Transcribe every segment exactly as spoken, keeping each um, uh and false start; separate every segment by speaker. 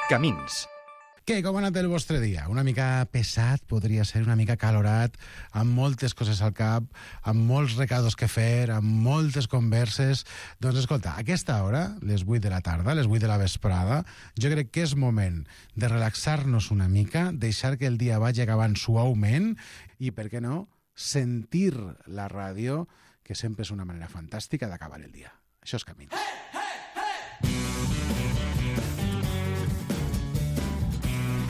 Speaker 1: Camins.
Speaker 2: Què, com ha anat el vostre dia? Una mica pesat, podria ser una mica calorat, amb moltes coses al cap, amb molts recados que fer, amb moltes converses. Doncs escolta, a aquesta hora, les vuit de la tarda, les vuit de la vesprada, jo crec que és moment de relaxar-nos una mica, deixar que el dia vagi acabant suaument i, per què no, sentir la ràdio, que sempre és una manera fantàstica d'acabar el dia. Això és Camins.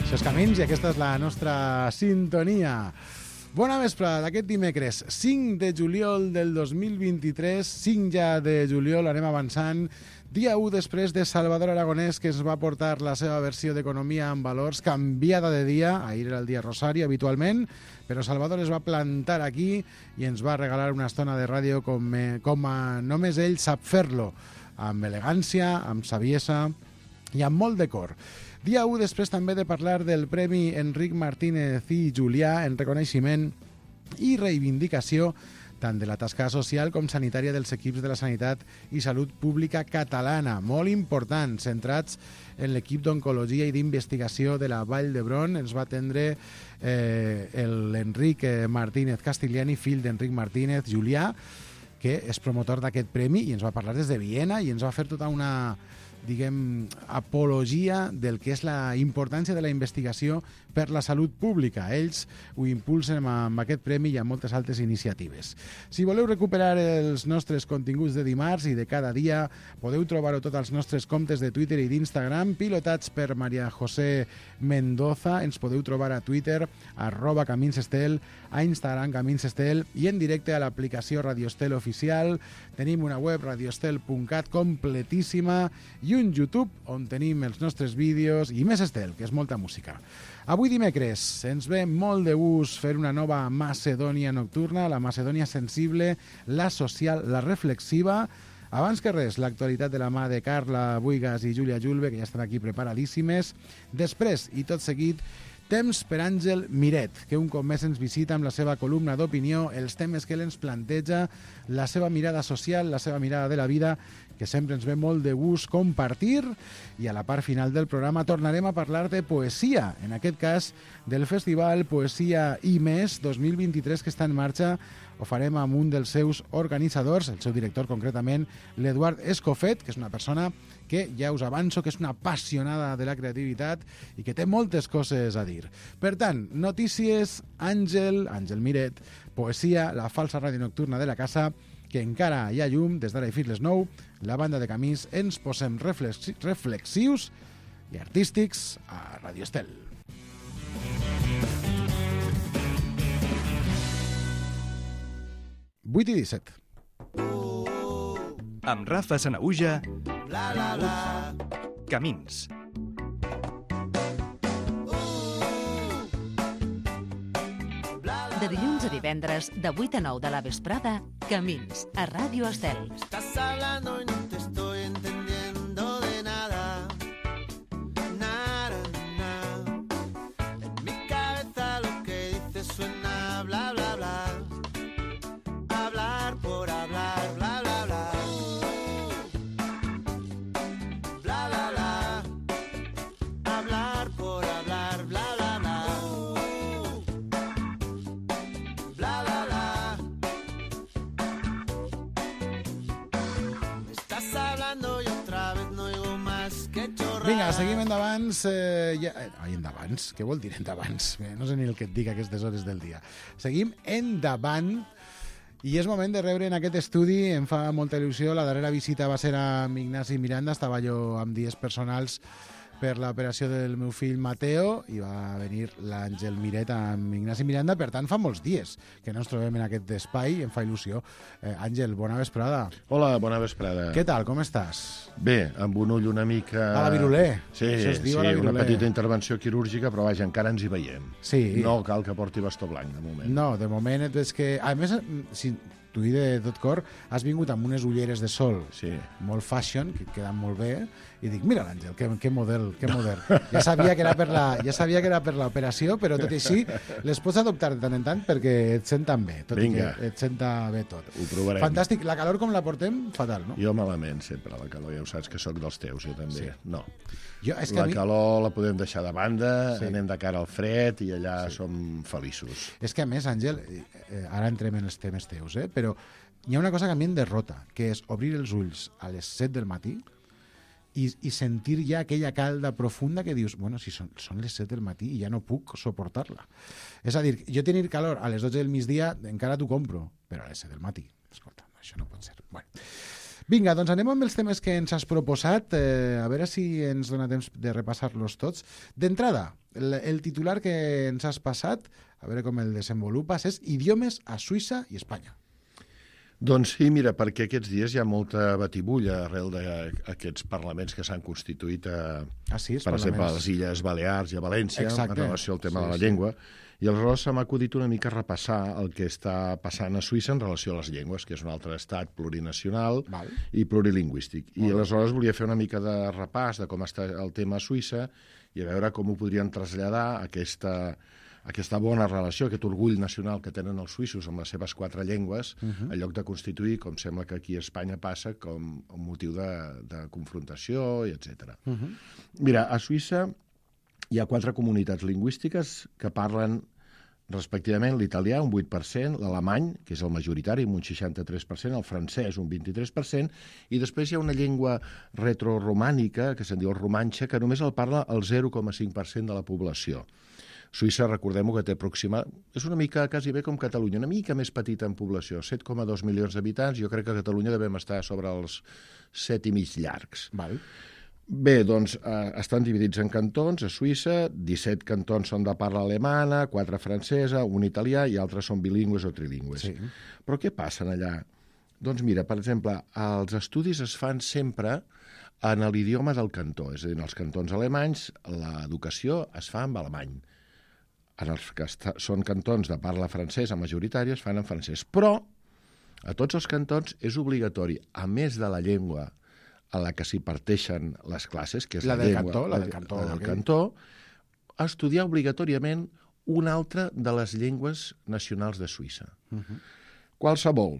Speaker 2: Això és Camins i aquesta és la nostra sintonia. Bona vesprada d'aquest dimecres, cinc de juliol del dos mil vint-i-tres, cinc ja de juliol, anem avançant, dia u després de Salvador Aragonès, que ens va portar la seva versió d'Economia en Valors, canviada de dia, ahir era el dia Rosari habitualment, però Salvador es va plantar aquí i ens va regalar una estona de ràdio com, eh, com a, només ell sap fer-lo, amb elegància, amb saviesa i amb molt de cor. Dia u després també de parlar del Premi Enric Martínez i Julià en reconeixement i reivindicació tant de la tasca social com sanitària dels equips de la sanitat i salut pública catalana, molt important, centrats en l'equip d'oncologia i d'investigació de la Vall d'Hebron. Ens va atendre eh, l'Enric Martínez Castigliani, fill d'Enric Martínez Julià, que és promotor d'aquest premi i ens va parlar des de Viena i ens va fer tota una, diguem, apologia del que és la importància de la investigació per la salut pública. Ells ho impulsen amb aquest premi i amb moltes altres iniciatives. Si voleu recuperar els nostres continguts de dimarts i de cada dia, podeu trobar-ho tots als nostres comptes de Twitter i d'Instagram, pilotats per Maria José Mendoza. Ens podeu trobar a Twitter, arroba Caminsestel, a Instagram Caminsestel i en directe a l'aplicació Radio Estel Oficial. Tenim una web, radiostel punt cat, completíssima, i un YouTube on tenim els nostres vídeos i més Estel, que és molta música. Avui dimecres ens ve molt de gust fer una nova Macedònia nocturna, la Macedònia sensible, la social, la reflexiva. Abans que res, l'actualitat de la mà de Carla Buigas i Júlia Julve, que ja estan aquí preparadíssimes. Després, i tot seguit, temps per Àngel Miret, que un cop més ens visita amb la seva columna d'opinió, els temes que ell ens planteja, la seva mirada social, la seva mirada de la vida, que sempre ens ve molt de gust compartir, i a la part final del programa tornarem a parlar de poesia, en aquest cas del Festival Poesia i Més dos mil vint-i-tres que està en marxa. Ho farem amb un dels seus organitzadors, el seu director concretament, l'Eduard Escofet, que és una persona que ja us avanço que és una apassionada de la creativitat i que té moltes coses a dir. Per tant, notícies, Àngel, Àngel Miret, poesia, la falsa ràdio nocturna de la casa, que encara hi ha llum, des d'ara i fins les nou, la banda de Camins, ens posem reflexi reflexius i artístics a Radio Estel. vuit i disset.
Speaker 1: Amb Rafa Sanaüja, Camins.
Speaker 3: De dilluns a divendres, de vuit a nou de la vesprada, Camins, a Ràdio Estel.
Speaker 4: Estás hablando y no te estoy entendiendo de nada. Nada, nada. En mi cabeza lo que dices suena bla, bla, bla. Hablar por hablar, bla, bla, bla. Bla, bla, bla. Hablar por hablar, bla, bla, bla. Bla, bla, bla. Me estás hablando y otra vez no oigo más que chorrar.
Speaker 2: Vinga, seguim endavant. Eh, ja, eh, ai, endavant? Què vol dir endavant? Eh, no sé ni el que et dic a aquestes hores del dia. Seguim endavant. I és moment de rebre en aquest estudi, em fa molta il·lusió, la darrera visita va ser amb Ignasi Miranda, estava jo amb dies personals per l'operació del meu fill Mateo i va venir l'Àngel Miret amb Ignasi Miranda, per tant fa molts dies que no ens trobem en aquest espai i em fa il·lusió. Eh, Àngel, bona vesprada.
Speaker 5: Hola, bona vesprada.
Speaker 2: Què tal, com estàs?
Speaker 5: Bé, amb un ull una mica...
Speaker 2: A la virulé.
Speaker 5: Sí,
Speaker 2: Això es diu
Speaker 5: sí,
Speaker 2: a la virulé.
Speaker 5: una petita intervenció quirúrgica, però vaja, encara ens hi veiem.
Speaker 2: Sí.
Speaker 5: No cal que porti bastó blanc, de moment.
Speaker 2: No, de moment et veig que... A més, si t'ho dic de tot cor, has vingut amb unes ulleres de sol
Speaker 5: Sí.
Speaker 2: molt fashion, que et queden molt bé, i dic, mira l'Àngel, que, que model, que model. Ja sabia que era per la, ja sabia que era per l'operació, però tot i així les pots adoptar de tant en tant perquè et senten bé, tot
Speaker 5: Vinga.
Speaker 2: i que et senta bé tot.
Speaker 5: Ho provarem.
Speaker 2: Fantàstic. La calor com la portem? Fatal, no?
Speaker 5: Jo malament sempre, la calor, ja ho saps que sóc dels teus, jo també.
Speaker 2: Sí.
Speaker 5: No.
Speaker 2: Jo, és que
Speaker 5: La
Speaker 2: a mi...
Speaker 5: calor la podem deixar de banda,
Speaker 2: Sí.
Speaker 5: anem de cara al fred i allà som feliços.
Speaker 2: És que, a més, Àngel, eh, ara entrem en els temes teus, eh? però hi ha una cosa que a mi em derrota, que és obrir els ulls a les set del matí i, i sentir ja aquella calda profunda que dius, bueno, si són, són les set del matí i ja no puc suportar-la. És a dir, jo tenir calor a les dotze del migdia encara t'ho compro, però a les set del matí, escolta, això no pot ser. Bueno. Vinga, doncs anem amb els temes que ens has proposat, eh, a veure si ens dona temps de repassar-los tots. D'entrada, el, el titular que ens has passat, a veure com el desenvolupes, és Idiomes a Suïssa i Espanya.
Speaker 5: Doncs sí, mira, perquè aquests dies hi ha molta batibulla arrel d'aquests parlaments que s'han constituït, a,
Speaker 2: Ah, sí, els
Speaker 5: per exemple, a
Speaker 2: parlaments.
Speaker 5: les Illes Balears i a València,
Speaker 2: Exacte.
Speaker 5: en relació al tema
Speaker 2: Sí,
Speaker 5: de la
Speaker 2: sí.
Speaker 5: llengua. I aleshores se m'ha acudit una mica repassar el que està passant a Suïssa en relació a les llengües, que és un altre estat plurinacional
Speaker 2: Val.
Speaker 5: i plurilingüístic. I
Speaker 2: Molt bé.
Speaker 5: aleshores volia fer una mica de repàs de com està el tema a Suïssa i a veure com ho podrien traslladar aquesta, aquesta bona relació, aquest orgull nacional que tenen els suïssos amb les seves quatre llengües, uh -huh. en lloc de constituir, com sembla que aquí a Espanya passa, com un motiu de, de confrontació, i etcètera. Uh -huh. Mira, a Suïssa hi ha quatre comunitats lingüístiques que parlen respectivament l'italià, un vuit per cent, l'alemany, que és el majoritari, amb un seixanta-tres per cent, el francès, un vint-i-tres per cent, i després hi ha una llengua retroromànica, que se'n diu el romanxe, que només el parla el zero coma cinc per cent de la població. Suïssa, recordem-ho, que té aproximat... És una mica, quasi bé com Catalunya, una mica més petita en població, set coma dos milions d'habitants. Jo crec que a Catalunya devem estar sobre els set i mig llargs.
Speaker 2: Val.
Speaker 5: Bé, doncs, eh, estan dividits en cantons a Suïssa, disset cantons són de parla alemana, quatre francesa, un italià i altres són bilingües o trilingües.
Speaker 2: Sí.
Speaker 5: Però què passa allà? Doncs mira, per exemple, els estudis es fan sempre en l'idioma del cantó, és a dir, en els cantons alemanys l'educació es fa en alemany. En els que són cantons de parla francesa majoritària es fan en francès, però a tots els cantons és obligatori, a més de la llengua a la que s'hi parteixen les classes, que és
Speaker 2: La
Speaker 5: la,
Speaker 2: del
Speaker 5: llengua,
Speaker 2: cantó, la del cantó,
Speaker 5: la del
Speaker 2: aquell.
Speaker 5: cantó, estudiar obligatòriament una altra de les llengües nacionals de Suïssa. Uh -huh. Qualsevol.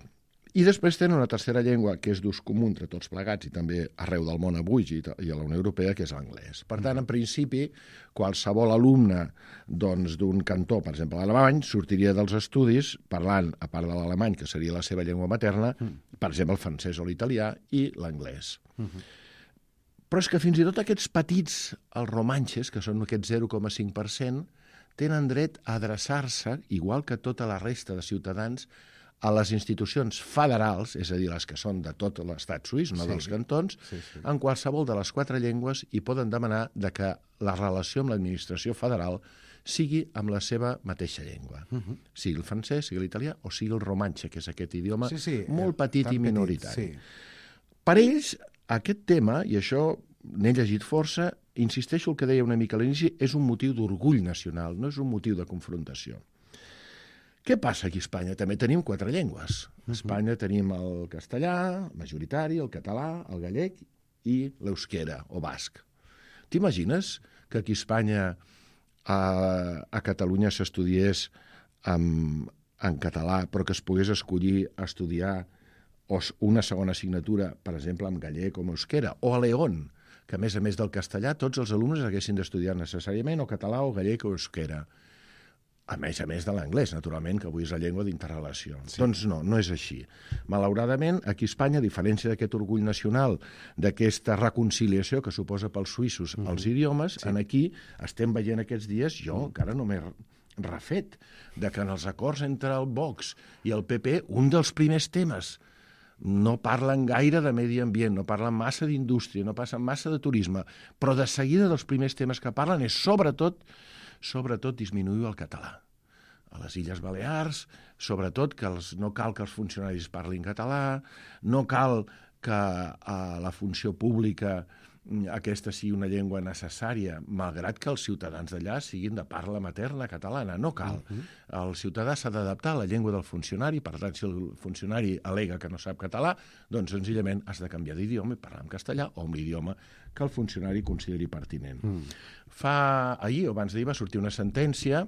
Speaker 5: I després tenen una tercera llengua que és d'ús comú entre tots plegats i també arreu del món avui i a la Unió Europea, que és l'anglès. Per tant, en principi, qualsevol alumne doncs, d'un cantó, per exemple l'alemany, sortiria dels estudis parlant, a part de l'alemany, que seria la seva llengua materna, per exemple el francès o l'italià i l'anglès. Uh -huh. Però és que fins i tot aquests petits, els romanxes, que són aquest zero coma cinc per cent, tenen dret a adreçar-se, igual que tota la resta de ciutadans, a les institucions federals, és a dir, les que són de tot l'estat suís, no
Speaker 2: Sí.
Speaker 5: dels cantons,
Speaker 2: Sí, sí.
Speaker 5: en qualsevol de les quatre llengües i poden demanar de que la relació amb l'administració federal sigui amb la seva mateixa llengua. Uh -huh. Sigui el francès, sigui l'italià o sigui el romanxe, que és aquest idioma
Speaker 2: Sí, sí,
Speaker 5: molt
Speaker 2: eh,
Speaker 5: petit
Speaker 2: tan
Speaker 5: i minoritari.
Speaker 2: Petit, sí.
Speaker 5: Per ells, aquest tema, i això n'he llegit força, insisteixo el que deia una mica a l'inici, és un motiu d'orgull nacional, no és un motiu de confrontació. Què passa aquí a Espanya? També tenim quatre llengües. A Espanya tenim el castellà, majoritari, el català, el gallec i l'eusquera, o basc. T'imagines que aquí a Espanya, a, a Catalunya, s'estudiés en, en català, però que es pogués escollir estudiar o una segona assignatura, per exemple, en gallec o en euskera, o a León, que a més a més del castellà tots els alumnes haguessin d'estudiar necessàriament o català o gallec o euskera. A més a més de l'anglès, naturalment, que avui és la llengua d'interrelació. Sí. Doncs no, no és així. Malauradament, aquí a Espanya, a diferència d'aquest orgull nacional, d'aquesta reconciliació que suposa pels suïssos mm-hmm. els idiomes, sí. en aquí estem veient aquests dies, jo mm. encara no m'he refet, de que en els acords entre el Vox i el P P, un dels primers temes no parlen gaire de medi ambient, no parlen massa d'indústria, no passen massa de turisme, però de seguida dels primers temes que parlen és sobretot sobretot disminuir el català. A les Illes Balears, sobretot que els, no cal que els funcionaris parlin català, no cal que a la funció pública aquesta sigui una llengua necessària, malgrat que els ciutadans d'allà siguin de parla materna catalana. No cal. Uh-huh. El ciutadà s'ha d'adaptar a la llengua del funcionari, per tant, si el funcionari al·lega que no sap català, doncs senzillament has de canviar d'idioma i parlar en castellà o amb l'idioma que el funcionari consideri pertinent. Mm. Fa ahir o abans d'ahir va sortir una sentència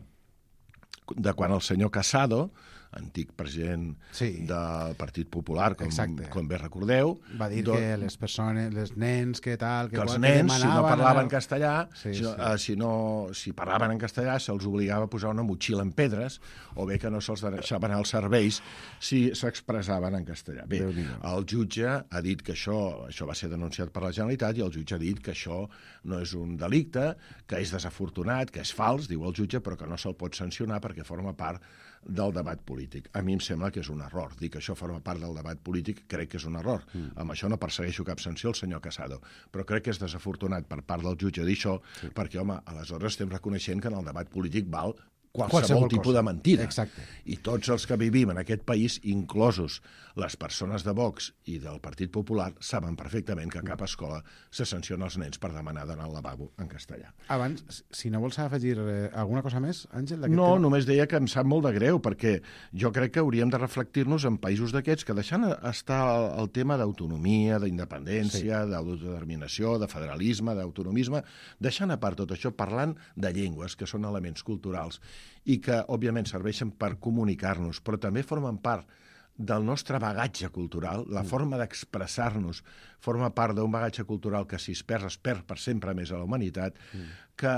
Speaker 5: de quan el senyor Casado, antic president sí. del Partit Popular, com, com bé recordeu...
Speaker 2: Va dir doncs, que les persones, les nens, que tal...
Speaker 5: Que, que els nens, si no parlaven castellà, sí, si, sí. Uh, si, no, si parlaven en castellà, se'ls obligava a posar una motxilla en pedres, o bé que no se'ls deixaven anar als serveis si s'expressaven en castellà. Bé, el jutge ha dit que això, això va ser denunciat per la Generalitat, i el jutge ha dit que això no és un delicte, que és desafortunat, que és fals, diu el jutge, però que no se'l pot sancionar perquè forma part del debat polític. A mi em sembla que és un error. Dir que això forma part del debat polític crec que és un error. Mm. Amb això no persegueixo cap sanció al senyor Casado, però crec que és desafortunat per part del jutge dir això, sí. perquè, home, aleshores estem reconeixent que en el debat polític val qualsevol, qualsevol tipus cosa. De mentida.
Speaker 2: Exacte.
Speaker 5: I tots els que vivim en aquest país, inclosos les persones de Vox i del Partit Popular, saben perfectament que a cap escola se sanciona els nens per demanar d'anar al lavabo en castellà.
Speaker 2: Abans, si no vols afegir eh, alguna cosa més, Àngel?
Speaker 5: No,
Speaker 2: tema?
Speaker 5: Només deia que em sap molt de greu, perquè jo crec que hauríem de reflectir-nos en països d'aquests que deixant estar el, el tema d'autonomia, d'independència, sí. d'autodeterminació, de federalisme, d'autonomisme, deixant a part tot això, parlant de llengües, que són elements culturals, i que, òbviament, serveixen per comunicar-nos, però també formen part del nostre bagatge cultural, la mm. forma d'expressar-nos forma part d'un bagatge cultural que, si es perd, es perd per sempre més a la humanitat, mm. que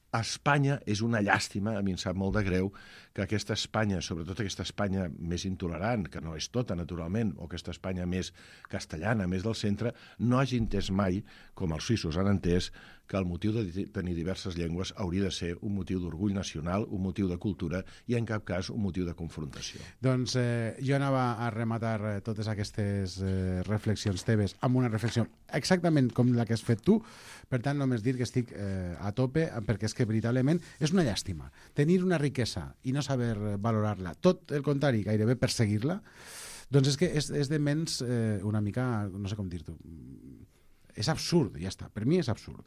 Speaker 5: a Espanya és una llàstima, a mi em sap molt de greu, que aquesta Espanya, sobretot aquesta Espanya més intolerant, que no és tota, naturalment, o aquesta Espanya més castellana, més del centre, no hagi entès mai, com els suïssos han entès, que el motiu de tenir diverses llengües hauria de ser un motiu d'orgull nacional, un motiu de cultura i, en cap cas, un motiu de confrontació.
Speaker 2: Doncs eh, jo anava a rematar eh, totes aquestes eh, reflexions teves amb una reflexió exactament com la que has fet tu, per tant, només dir que estic eh, a tope, perquè és que veritablement és una llàstima. Tenir una riquesa i no saber valorar-la, tot el contrari, gairebé perseguir-la, doncs és que és, és de mens eh, una mica, no sé com dir-t'ho, és absurd, ja està, per mi és absurd.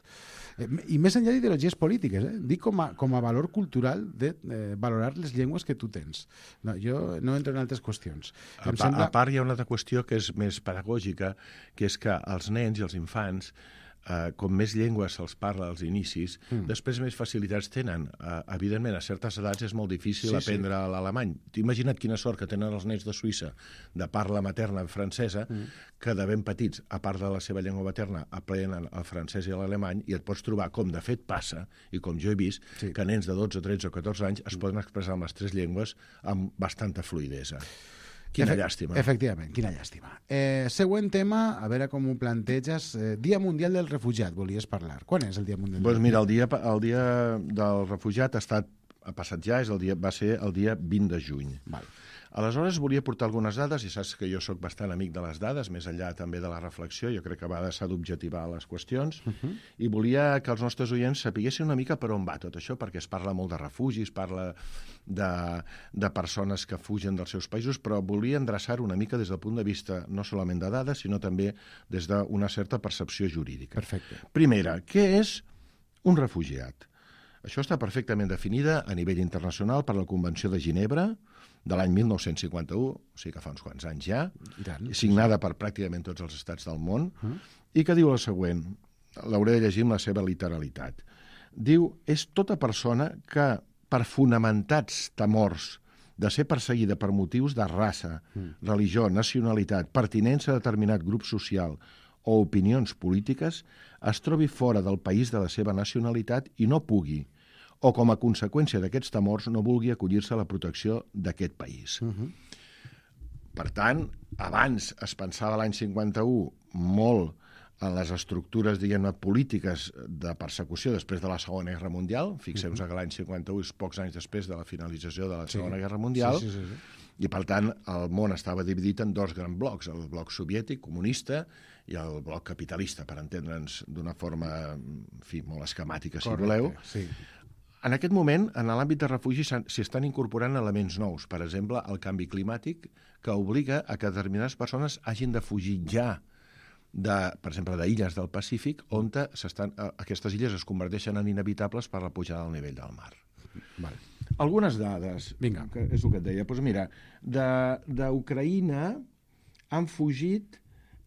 Speaker 2: Eh, I més enllà d'ideologies polítiques, eh? Dic com a, com a valor cultural de eh, valorar les llengües que tu tens. No, jo no entro en altres qüestions.
Speaker 5: A, em sembla... a part hi ha una altra qüestió que és més pedagògica, que és que els nens i els infants, Uh, com més llengües se'ls parla als inicis, mm. després més facilitats tenen. Uh, evidentment, a certes edats és molt difícil sí, aprendre sí. l'alemany. Imagina't quina sort que tenen els nens de Suïssa de parla materna francesa, mm. que de ben petits, a part de la seva llengua materna, aprenen el francès i l'alemany, i et pots trobar, com de fet passa, i com jo he vist, sí. que nens de dotze, tretze o catorze anys es mm. poden expressar amb les tres llengües amb bastanta fluïdesa. Quina Efe llàstima.
Speaker 2: Efectivament, quina llàstima. Eh, següent tema, a veure com ho planteges. Eh, Dia Mundial del Refugiat, volies parlar. Quan és el Dia Mundial del
Speaker 5: pues mira, el dia, el dia del refugiat ha estat ha passat ja, és el dia, va ser el dia vint de juny.
Speaker 2: Val.
Speaker 5: Aleshores, volia portar algunes dades, i saps que jo sóc bastant amic de les dades, més enllà també de la reflexió, jo crec que a vegades s'ha d'objectivar les qüestions, uh -huh. i volia que els nostres oients sapiguessin una mica per on va tot això, perquè es parla molt de refugis, parla de, de persones que fugen dels seus països, però volia endreçar-ho una mica des del punt de vista no solament de dades, sinó també des d'una certa percepció jurídica.
Speaker 2: Perfecte.
Speaker 5: Primera, què és un refugiat? Això està perfectament definida a nivell internacional per la Convenció de Ginebra, de l'any mil nou-cents cinquanta-u, o sigui que fa uns quants anys ja, signada per pràcticament tots els estats del món, uh -huh. i que diu el següent, l'hauré de llegir amb la seva literalitat. Diu, és tota persona que, per fonamentats temors de ser perseguida per motius de raça, uh-huh. religió, nacionalitat, pertinença a determinat grup social o opinions polítiques, es trobi fora del país de la seva nacionalitat i no pugui, o com a conseqüència d'aquests temors no vulgui acollir-se a la protecció d'aquest país. Uh-huh. Per tant, abans es pensava l'any cinquanta-u molt en les estructures, diguem-ne, polítiques de persecució després de la Segona Guerra Mundial. Fixeu-vos uh-huh. que l'any cinquanta-u és pocs anys després de la finalització de la Segona sí. Guerra Mundial, sí, sí, sí, sí. i per tant el món estava dividit en dos grans blocs, el bloc soviètic, comunista, i el bloc capitalista, per entendre'ns d'una forma, en fi, molt esquemàtica, si Correcte, voleu.
Speaker 2: Sí.
Speaker 5: En aquest moment, en l'àmbit de refugi, s'hi estan incorporant elements nous. Per exemple, el canvi climàtic, que obliga a que determinades persones hagin de fugir ja de, per exemple, d'illes del Pacífic, on s'estan, aquestes illes es converteixen en inevitables per la pujada del nivell del mar.
Speaker 2: Vale.
Speaker 5: Algunes dades,
Speaker 2: Vinga.
Speaker 5: que és el que et deia. Doncs mira, d'Ucraïna han fugit,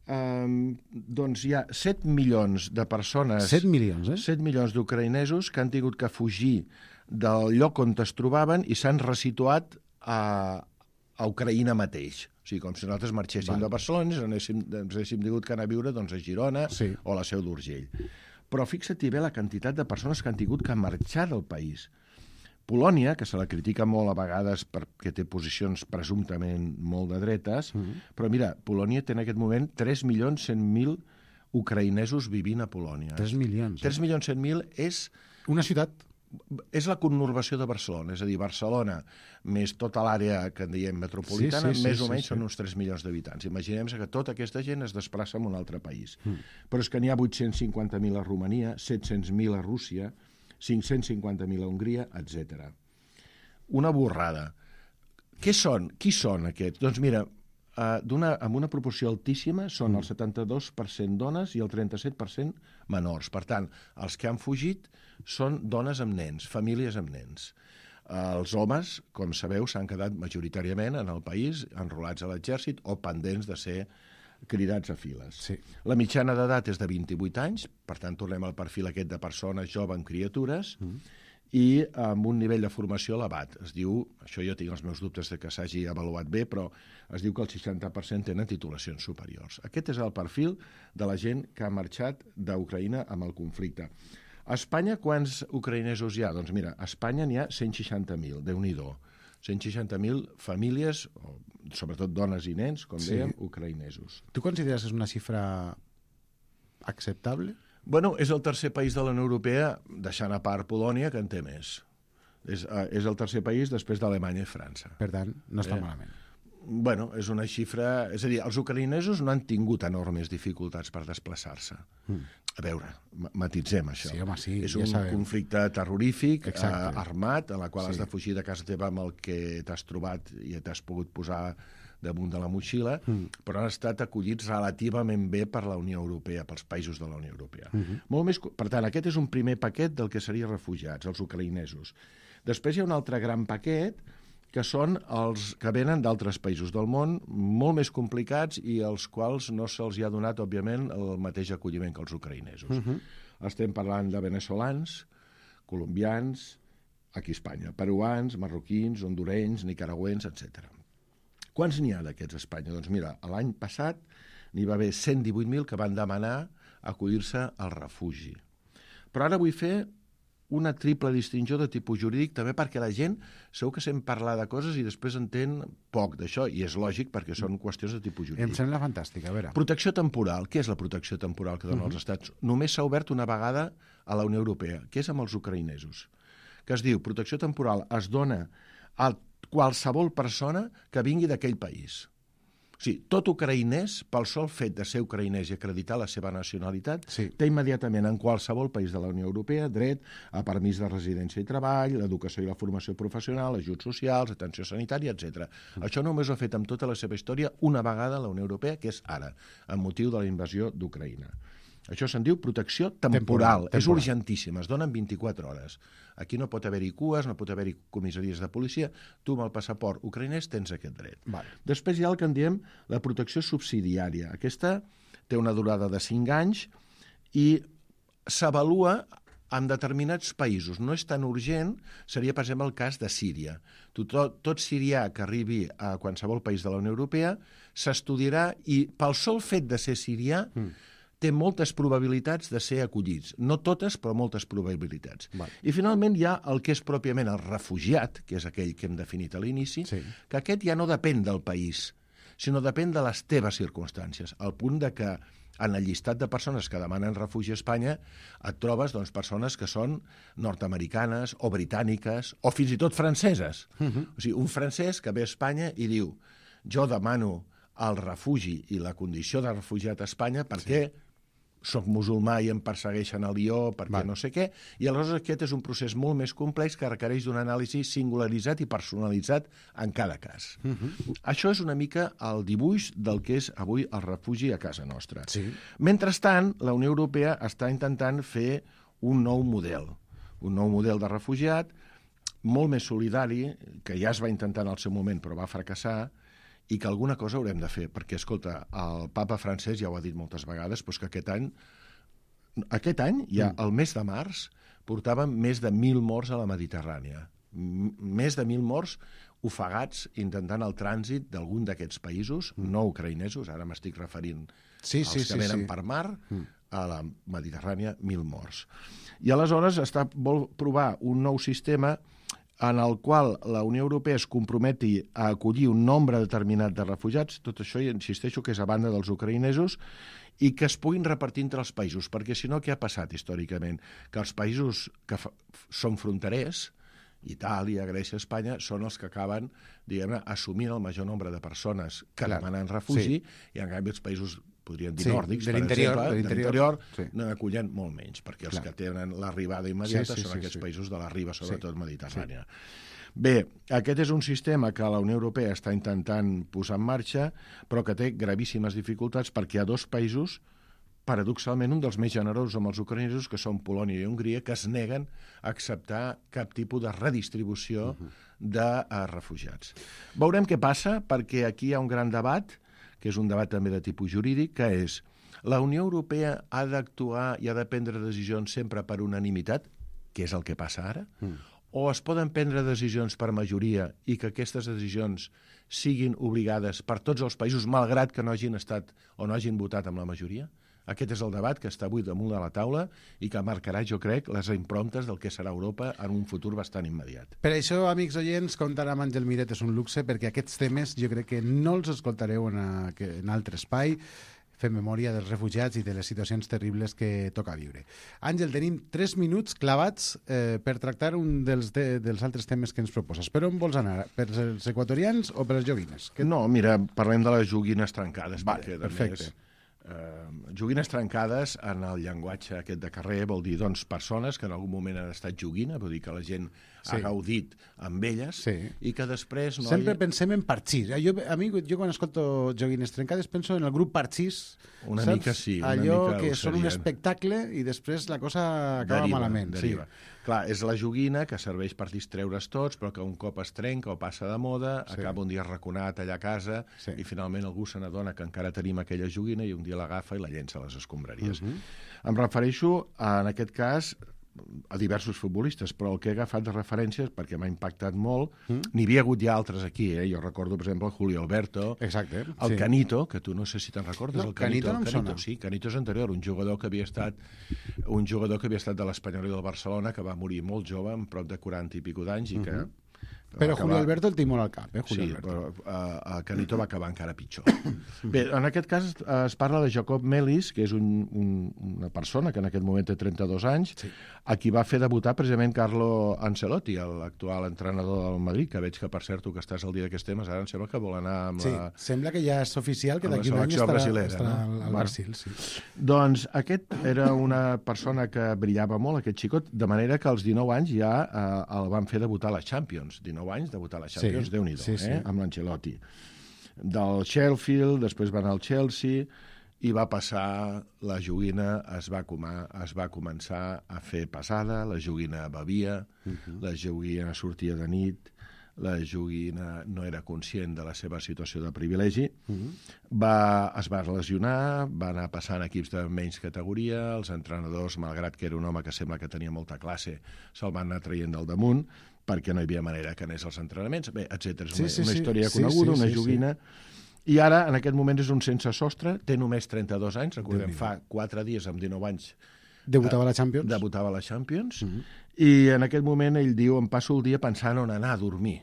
Speaker 5: eh, doncs hi ha set milions de persones...
Speaker 2: set milions, eh?
Speaker 5: set milions d'ucraïnesos que han tingut que fugir del lloc on es trobaven i s'han resituat a, a Ucraïna mateix. O sigui, com si nosaltres marxéssim
Speaker 2: Val.
Speaker 5: de Barcelona i ens haguéssim, ens haguéssim tingut que anar a viure doncs, a Girona
Speaker 2: Sí.
Speaker 5: o a la Seu d'Urgell. Però fixa't-hi bé la quantitat de persones que han tingut que marxar del país. Polònia, que se la critica molt a vegades perquè té posicions presumptament molt de dretes, mm-hmm. però mira, Polònia té en aquest moment tres milions cent mil ucraïnesos vivint a Polònia.
Speaker 2: tres milions.
Speaker 5: tres milions cent mil és...
Speaker 2: Una ciutat.
Speaker 5: És la conurbació de Barcelona, és a dir, Barcelona més tota l'àrea que en diem metropolitana,
Speaker 2: Sí, sí, sí,
Speaker 5: més o
Speaker 2: sí,
Speaker 5: menys
Speaker 2: sí.
Speaker 5: són uns tres milions d'habitants. Imaginem que tota aquesta gent es desplaça a un altre país. Mm. Però és que n'hi ha vuit-cents cinquanta mil a Romania, set-cents mil a Rússia, cinc-cents cinquanta mil a Hongria, etcètera. Una borrada. Què són? Qui són aquests? Doncs mira, uh, una, amb una proporció altíssima són mm. el setanta-dos per cent dones i el trenta-set per cent menors. Per tant, els que han fugit són dones amb nens, famílies amb nens. Uh, els homes, com sabeu, s'han quedat majoritàriament en el país, enrolats a l'exèrcit o pendents de ser cridats a files.
Speaker 2: Sí.
Speaker 5: La mitjana d'edat és de vint-i-vuit anys, per tant tornem al perfil aquest de persones joves amb criatures, mm. i amb un nivell de formació elevat. Es diu, això jo tinc els meus dubtes de que s'hagi avaluat bé, però es diu que el seixanta per cent tenen titulacions superiors. Aquest és el perfil de la gent que ha marxat d'Ucraïna amb el conflicte. A Espanya, quants ucraïnesos hi ha? Doncs mira, a Espanya n'hi ha cent seixanta mil, Déu-n'hi-do. cent seixanta mil famílies, sobretot dones i nens, com
Speaker 2: Sí.
Speaker 5: dèiem, ucraïnesos.
Speaker 2: Tu consideres que és una xifra acceptable?
Speaker 5: Bueno, és el tercer país de la Unió Europea, deixant a part Polònia, que en té més. És, uh, és el tercer país després d'Alemanya i França.
Speaker 2: Per tant, no està
Speaker 5: Eh.
Speaker 2: malament.
Speaker 5: Bueno, és una xifra... És a dir, els ucraïnesos no han tingut enormes dificultats per desplaçar-se. Mm. A veure, matitzem això.
Speaker 2: Sí, home, sí,
Speaker 5: és
Speaker 2: ja
Speaker 5: un
Speaker 2: sabem.
Speaker 5: conflicte terrorífic, eh,
Speaker 2: Exacte.
Speaker 5: armat, en la qual
Speaker 2: Sí.
Speaker 5: has de fugir de casa teva amb el que t'has trobat i t'has pogut posar damunt de la motxilla, mm. però han estat acollits relativament bé per la Unió Europea, pels països de la Unió Europea. Mm-hmm. Molt més, per tant, aquest és un primer paquet del que serien refugiats, els ucraïnesos. Després hi ha un altre gran paquet, que són els que venen d'altres països del món, molt més complicats i als quals no se'ls ha donat, òbviament, el mateix acolliment que els ucraïnesos. Uh-huh. Estem parlant de veneçolans, colombians, aquí a Espanya, peruans, marroquins, hondurenys, nicaragüens, etcètera. Quants n'hi ha d'aquests a Espanya? Doncs mira, l'any passat n'hi va haver cent divuit mil que van demanar acollir-se al refugi. Però ara vull fer una triple distinció de tipus jurídic, també perquè la gent segur que sent parlar de coses i després entén poc d'això, i és lògic perquè són qüestions de tipus jurídic.
Speaker 2: Em sembla fantàstic, a veure.
Speaker 5: Protecció temporal. Què és la protecció temporal que donen uh-huh. els estats? Només s'ha obert una vegada a la Unió Europea, que és amb els ucraïnesos, que es diu protecció temporal es dona a qualsevol persona que vingui d'aquell país. O sigui, tot ucraïnès, pel sol fet de ser ucraïnès i acreditar la seva nacionalitat, sí. té immediatament en qualsevol país de la Unió Europea dret a permís de residència i treball, l'educació i la formació professional, ajuts socials, atenció sanitària, etcètera. Mm. Això només ho ha fet amb tota la seva història una vegada a la Unió Europea, que és ara, amb motiu de la invasió d'Ucraïna. Això se'n diu protecció temporal. temporal. És temporal. Urgentíssima, es donen vint-i-quatre hores. Aquí no pot haver-hi cues, no pot haver-hi comissaries de policia. Tu amb el passaport ucraïnès tens aquest dret.
Speaker 2: Vale.
Speaker 5: Després hi ha el que en diem la protecció subsidiària. Aquesta té una durada de cinc anys i s'avalua en determinats països. No és tan urgent, seria, per exemple, el cas de Síria. Tot, tot sirià que arribi a qualsevol país de la Unió Europea s'estudiarà i pel sol fet de ser sirià mm. té moltes probabilitats de ser acollits. No totes, però moltes probabilitats. Val. I finalment hi ha el que és pròpiament el refugiat, que és aquell que hem definit a l'inici, sí. que aquest ja no depèn del país, sinó depèn de les teves circumstàncies, al punt de que en el llistat de persones que demanen refugi a Espanya et trobes doncs, persones que són nord-americanes o britàniques o fins i tot franceses. Uh-huh. O sigui, un francès que ve a Espanya i diu jo demano el refugi i la condició de refugiat a Espanya perquè sí. soc musulmà i em persegueixen a Lió perquè
Speaker 2: Val.
Speaker 5: no sé què, i aleshores aquest és un procés molt més complex que requereix d'un anàlisi singularitzat i personalitzat en cada cas. Uh -huh. Això és una mica el dibuix del que és avui el refugi a casa nostra.
Speaker 2: Sí.
Speaker 5: Mentrestant, la Unió Europea està intentant fer un nou model, un nou model de refugiat molt més solidari, que ja es va intentar en el seu moment però va fracassar, i que alguna cosa haurem de fer, perquè, escolta, el papa francès ja ho ha dit moltes vegades, doncs que aquest any, aquest any, ja mm. el mes de març, portàvem més de mil morts a la Mediterrània. M més de mil morts ofegats intentant el trànsit d'algun d'aquests països, mm. no ucraïnesos, ara m'estic referint
Speaker 2: sí,
Speaker 5: als
Speaker 2: sí,
Speaker 5: que
Speaker 2: sí,
Speaker 5: venen
Speaker 2: sí.
Speaker 5: per mar, mm. a la Mediterrània, mil morts. I aleshores està, vol provar un nou sistema en el qual la Unió Europea es comprometi a acollir un nombre determinat de refugiats, tot això, i insisteixo, que és a banda dels ucraïnesos, i que es puguin repartir entre els països, perquè si no, què ha passat històricament? Que els països que són fronterers, Itàlia, Grècia, Espanya, són els que acaben, diguem-ne, assumint el major nombre de persones que
Speaker 2: Clar,
Speaker 5: demanen refugi,
Speaker 2: sí.
Speaker 5: i en canvi els països podríem dir
Speaker 2: Sí,
Speaker 5: nòrdics,
Speaker 2: de
Speaker 5: per
Speaker 2: l'interior,
Speaker 5: exemple,
Speaker 2: de
Speaker 5: de
Speaker 2: l'interior,
Speaker 5: l'interior,
Speaker 2: sí.
Speaker 5: no acullen molt menys, perquè els
Speaker 2: Clar.
Speaker 5: que tenen l'arribada immediata
Speaker 2: Sí, sí,
Speaker 5: són
Speaker 2: sí,
Speaker 5: aquests
Speaker 2: sí.
Speaker 5: països de la riba, sobretot
Speaker 2: Sí.
Speaker 5: mediterrània. Sí. Bé, aquest és un sistema que la Unió Europea està intentant posar en marxa, però que té gravíssimes dificultats perquè hi ha dos països, paradoxalment un dels més generosos amb els ucraïnesos, que són Polònia i Hongria, que es neguen a acceptar cap tipus de redistribució uh-huh. de uh, refugiats. Veurem què passa, perquè aquí hi ha un gran debat, que és un debat també de tipus jurídic, que és la Unió Europea ha d'actuar i ha de prendre decisions sempre per unanimitat, que és el que passa ara, mm. o es poden prendre decisions per majoria i que aquestes decisions siguin obligades per tots els països, malgrat que no hagin estat o no hagin votat amb la majoria? Aquest és el debat que està avui damunt de la taula i que marcarà, jo crec, les improntes del que serà Europa en un futur bastant immediat.
Speaker 2: Per això, amics oients, comptar amb Àngel Miret és un luxe, perquè aquests temes jo crec que no els escoltareu en, a, en altre espai. Fem memòria dels refugiats i de les situacions terribles que toca viure. Àngel, tenim tres minuts clavats eh, per tractar un dels, de, dels altres temes que ens proposes. Per on vols anar? Per els equatorians o per les joguines?
Speaker 5: Que... No, mira, parlem de les joguines trencades.
Speaker 2: Vale,
Speaker 5: perquè,
Speaker 2: perfecte.
Speaker 5: Més, eh, joguines trencades, en el llenguatge aquest de carrer, vol dir, doncs, persones que en algun moment han estat joguina, vol dir que la gent sí. ha gaudit amb elles,
Speaker 2: sí.
Speaker 5: i que després... No
Speaker 2: Sempre
Speaker 5: hi...
Speaker 2: pensem en parxís. Jo, a mi, jo quan escolto joguines trencades penso en el grup parxís.
Speaker 5: Una
Speaker 2: saps?
Speaker 5: mica sí. Una
Speaker 2: Allò
Speaker 5: mica
Speaker 2: que són un
Speaker 5: serien.
Speaker 2: espectacle i després la cosa acaba
Speaker 5: deriva,
Speaker 2: malament.
Speaker 5: Deriva.
Speaker 2: Sí.
Speaker 5: Clar, és la joguina que serveix per distreure's tots, però que un cop es trenca o passa de moda, sí. acaba un dia raconat allà a casa sí. i finalment algú se n'adona que encara tenim aquella joguina i un dia l'agafa i la llença a les escombraries. Uh -huh. Em refereixo, en aquest cas, a diversos futbolistes, però el que he agafat de referències, perquè m'ha impactat molt, mm. n'hi havia hagut ja altres aquí, eh? Jo recordo, per exemple, el Julio Alberto,
Speaker 2: exacte,
Speaker 5: el
Speaker 2: sí.
Speaker 5: Canito, que tu no sé si te'n recordes,
Speaker 2: no,
Speaker 5: el Canito.
Speaker 2: Canito no em
Speaker 5: Canito,
Speaker 2: sona.
Speaker 5: sí, Canito és anterior, un jugador que havia estat un jugador que havia estat de l'Espanyol i del Barcelona, que va morir molt jove, amb prop de quaranta i pico d'anys, i que... Mm -hmm.
Speaker 2: Però
Speaker 5: acabar...
Speaker 2: Julio Alberto el tinc molt al cap, eh? Julio
Speaker 5: sí,
Speaker 2: Alberto.
Speaker 5: però uh, uh, Canito va acabar encara pitjor. Bé, en aquest cas uh, es parla de Jacob Melis, que és un, un, una persona que en aquest moment té trenta-dos anys, sí. a qui va fer debutar precisament Carlo Ancelotti, l'actual entrenador del Madrid, que veig que, per cert, tu que estàs al dia d'aquests temes, ara em sembla que vol anar amb
Speaker 2: sí,
Speaker 5: la...
Speaker 2: sembla que ja és oficial que d'aquí un any estarà, estarà no? al Barcil. Sí.
Speaker 5: Doncs aquest era una persona que brillava molt, aquest xicot, de manera que als dinou anys ja uh, el van fer debutar a la Champions. dinou anys, debutar a la Champions, sí, Déu-n'hi-do, sí, sí. eh? amb l'Ancelotti. Del Sheffield, després va anar al Chelsea, i va passar, la joguina es va, comar, es va començar a fer pesada, la joguina bevia, uh -huh. la joguina sortia de nit, la joguina no era conscient de la seva situació de privilegi, uh -huh. va, es va lesionar, va anar passant equips de menys categoria, els entrenadors, malgrat que era un home que sembla que tenia molta classe, se'l van anar traient del damunt, perquè no hi havia manera que anés als entrenaments, bé, etcètera. És una, sí, sí, una història
Speaker 2: sí,
Speaker 5: coneguda,
Speaker 2: sí, sí,
Speaker 5: una
Speaker 2: sí,
Speaker 5: joguina, sí. I ara, en aquest moment, és un sense sostre, té només trenta-dos anys, recordem,
Speaker 2: Déu
Speaker 5: fa quatre dies, amb dinou anys,
Speaker 2: debutava a la Champions.
Speaker 5: Debutava a la Champions,
Speaker 2: uh -huh.
Speaker 5: i en aquest moment ell diu, em passo el dia pensant on anar a dormir.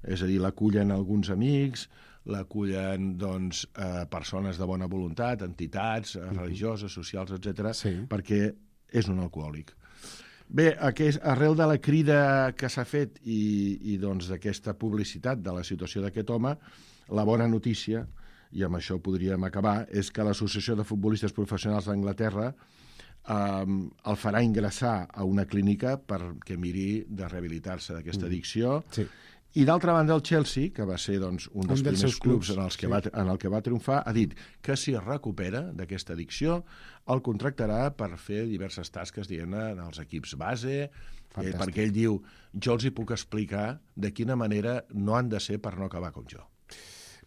Speaker 5: És a dir, l'acullen alguns amics, l'acullen doncs, eh, persones de bona voluntat, entitats, uh -huh. religioses, socials, etcètera, sí. perquè és un alcohòlic. Bé, aquest, arrel de la crida que s'ha fet i, i doncs, d'aquesta publicitat de la situació d'aquest home, la bona notícia, i amb això podríem acabar, és que l'Associació de Futbolistes Professionals d'Anglaterra eh, el farà ingressar a una clínica perquè miri de rehabilitar-se d'aquesta addicció.
Speaker 2: Sí.
Speaker 5: I d'altra banda, el Chelsea, que va ser doncs, un dels
Speaker 2: Un dels
Speaker 5: primers
Speaker 2: seus clubs,
Speaker 5: clubs en, els que
Speaker 2: sí.
Speaker 5: va, en el que va triomfar, ha dit que si es recupera d'aquesta addicció, el contractarà per fer diverses tasques, diguem-ne, en els equips base, eh, perquè ell diu, jo els hi puc explicar de quina manera no han de ser per no acabar com jo.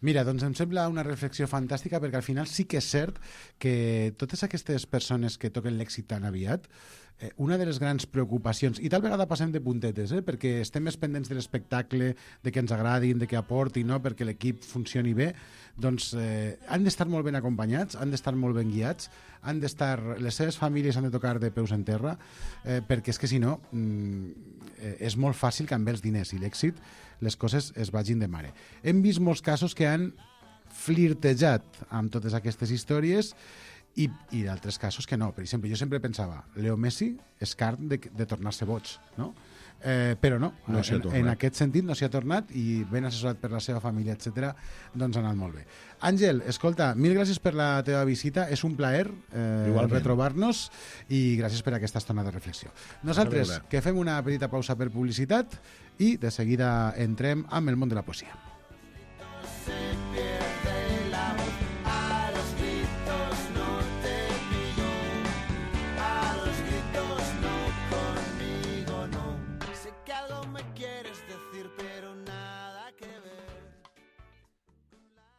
Speaker 2: Mira, doncs em sembla una reflexió fantàstica perquè al final sí que és cert que totes aquestes persones que toquen l'èxit tan aviat, eh, una de les grans preocupacions, i tal vegada passem de puntetes, eh, perquè estem més pendents de l'espectacle, de que ens agradin, de que aportin, no? Perquè l'equip funcioni bé, doncs eh, han d'estar molt ben acompanyats, han d'estar molt ben guiats, han d'estar, les seves famílies han de tocar de peus en terra, eh, perquè és que si no mm, eh, és molt fàcil que amb els diners i l'èxit les coses es vagin de mare. Hem vist molts casos que han flirtejat amb totes aquestes històries i, i d'altres casos que no. Per exemple, jo sempre pensava, Leo Messi és carn de, de tornar-se boig, no? Eh, però no,
Speaker 5: no
Speaker 2: en, en aquest sentit no s'hi ha tornat i ben assessorat per la seva família, etcètera, doncs ha anat molt bé. Àngel, escolta, mil gràcies per la teva visita, és un plaer eh, retrobar-nos i gràcies per aquesta estona de reflexió. Nosaltres que fem una petita pausa per publicitat i de seguida entrem amb el món de la poesia.